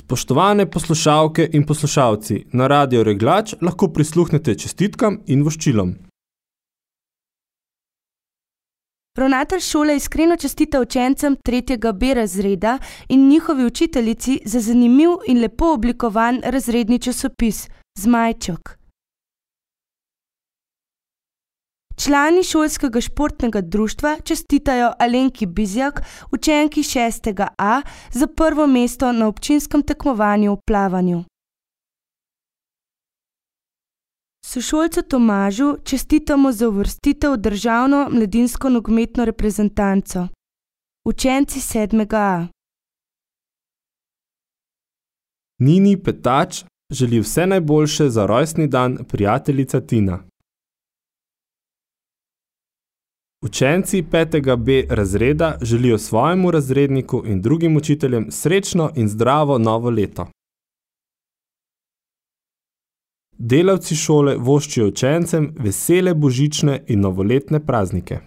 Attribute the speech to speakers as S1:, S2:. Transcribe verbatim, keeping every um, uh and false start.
S1: Spoštovane poslušalke in poslušalci, na Radio Reglač lahko prisluhnete čestitkam in voščilom.
S2: Ravnatelj šole iskreno čestita učencem tretjega B razreda in njihovi učiteljici za zanimiv in lepo oblikovan razredni časopis Zmajček. Člani šolskega športnega društva čestitajo Alenki Bizjak, učenki šestega A, za prvo mesto na občinskem tekmovanju v plavanju. Sošolcu Tomažu čestitamo za uvrstitev v državno mladinsko nogometno reprezentanco. Učenci sedmega A.
S1: Nini Petač želi vse najboljše za rojstni dan prijateljica Tina. Učenci petega B razreda želijo svojemu razredniku in drugim učiteljem srečno in zdravo novo leto. Delavci šole voščijo učencem vesele božične in novoletne praznike.